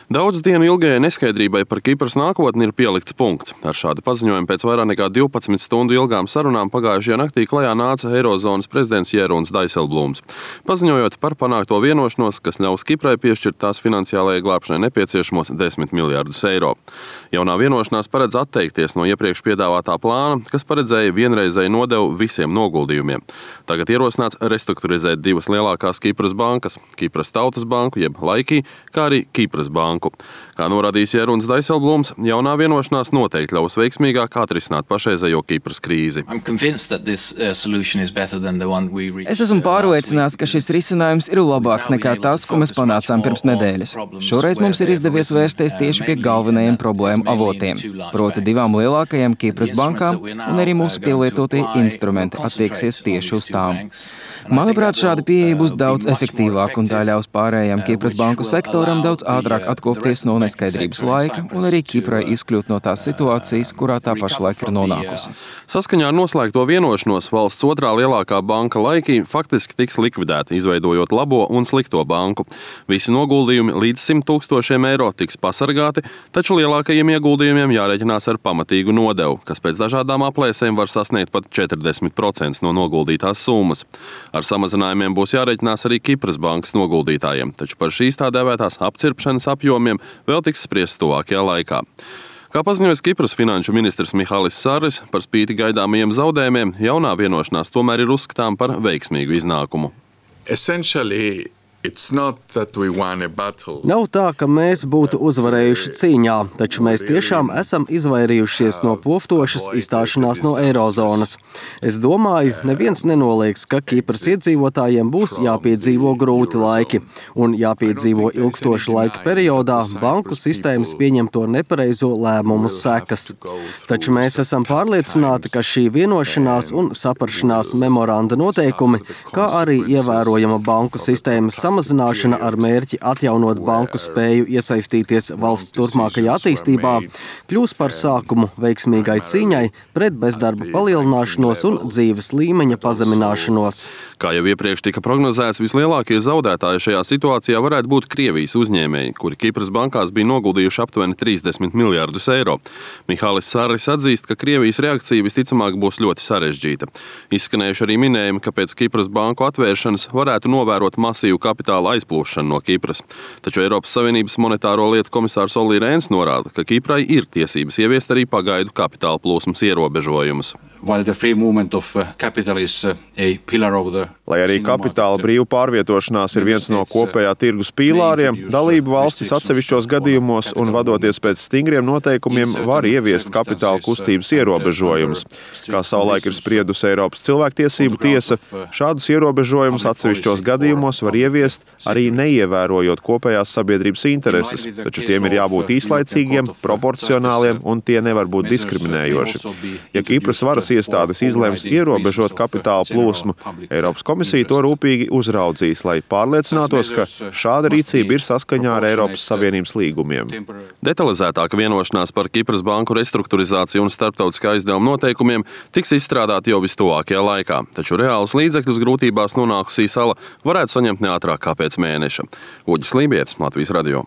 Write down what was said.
Daudz dienu ilgajai neskaidrībai par Kipras nākotni ir pielikts punkts. Ar šādu paziņojumu pēc vairāk nekā 12 stundu ilgām sarunām pagājušajā naktī klajā nāca Eirozonas prezidents Jeroens Dijsselbloems, paziņojot par panākto vienošanos, kas ļaus Kiprai piešķirt tās finansiālajai glābšanai nepieciešamos 10 miljardus eiro. Jaunā vienošanās paredz atteikties no iepriekš piedāvātā plāna, kas paredzēja vienreizēju nodevu visiem noguldījumiem. Tagad ierosināts restruktūrizēt divas lielākās Kipras bankas – Kipras Tautas banku, jeb Laiki, kā arī Kipras banku. Kā norādījis Jeroens Dijsselbloems, jaunā vienošanās noteikti ļaus veiksmīgāk atrisināt pašreizējo Kipras krīzi. Es esmu pārliecināts, ka šis risinājums ir labāks nekā tas, ko mēs panācām pirms nedēļas. Šoreiz mums ir izdevies vērsties tieši pie galvenajiem problēmu avotiem, proti divām lielākajām Kipras bankām, un arī mūsu pielietotie instrumenti attieksies tieši uz tām. Manuprāt, šāda pieeja būs daudz efektīvāka un tā ļaus pārējām Kipras banku sektoram daudz ātrāk atkopties no neskaidrības laika un arī Kiprai izkļūt no tās situācijas, kurā tā pašlaik ir nonākusi. Saskaņā ar noslēgto vienošanos valsts otrā lielākā banka Laiki faktiski tiks likvidēta, izveidojot labo un slikto banku. Visi noguldījumi līdz 100 000 eiro tiks pasargāti, taču lielākajiem ieguldījumiem jārēķinās ar pamatīgu nodevu, kas pēc dažādām aplēsēm var sasniegt pat 40% no noguldītās summas. Ar samazinājumiem būs jārēķinās arī Kipras bankas noguldītājiem, taču par šīs tā dēvētās apcirpšanas apjomiem vēl tiks spriests tuvākajā laikā. Kā paziņoja Kipras finanšu ministrs Mihalis Sarris, par spīti gaidāmajiem zaudējumiem, jaunā vienošanās tomēr ir uzskatām par veiksmīgu iznākumu. Nav tā, ka mēs būtu uzvarējuši cīņā, taču mēs tiešām esam izvairījušies no poftošas izstāšanās no Eirozonas. Es domāju, neviens nenoliedz, ka Kipras iedzīvotājiem būs jāpiedzīvo grūti laiki un jāpiedzīvo ilgstoša laika periodā banku sistēmas pieņemto nepareizo lēmumu sekas. Taču mēs esam pārliecināti, ka šī vienošanās un saprašanās memoranda noteikumi, kā arī ievērojama banku sistēmas samazināšana ar mērķi atjaunot banku spēju iesaistīties valsts turpmākajā attīstībā, kļūs par sākumu veiksmīgai cīņai pret bezdarba palielināšanos un dzīves līmeņa pazemināšanos. Kā jau iepriekš tika prognozēts, vislielākie zaudētāji šajā situācijā varētu būt Krievijas uzņēmēji, kuri Kipras bankās bija noguldījuši aptuveni 30 miljardus eiro. Mihalis Sarris atzīst, ka Krievijas reakcija visticamāk būs ļoti sarežģīta. Izskanējuši arī minējumi, ka pēc Kipras banku atvēršanas varētu novērot masīvu kapitāla aizplūšanu no Kipras. Taču Eiropas Savienības monetāro lietu komisārs Olli Rehns norāda, ka Kiprai ir tiesības ieviest arī pagaidu kapitāla plūsmas ierobežojumus. Lai arī kapitāla brīva pārvietošanās ir viens no kopējā tirgus pīlāriem, dalību valstis atsevišķos gadījumos un vadoties pēc stingriem noteikumiem var ieviest kapitāla kustības ierobežojumus. Kā savulaik ir spriedusi Eiropas cilvēktiesību tiesa, šādus ierobežojumus atsevišķos gadījumos var ieviest arī neievērojot kopējās sabiedrības intereses, taču tiem ir jābūt īslaicīgiem, proporcionāliem un tie nevar būt diskriminējoši. Ja Kipras varas iestādes izlems ierobežot kapitāla plūsmu, Eiropas komisija to rūpīgi uzraudzīs, lai pārliecinātos, ka šāda rīcība ir saskaņā ar Eiropas Savienības līgumiem. Detalizētāka vienošanās par Kipras banku restruktūrizāciju un starptautiskā aizdevuma noteikumiem tiks izstrādāta jau vistuvākajā laikā, taču reālus līdzekļus grūtībās nonākusī sala varētu saņemt neātrāk kā pēc mēneša. Uģis Lībietis, Latvijas radio.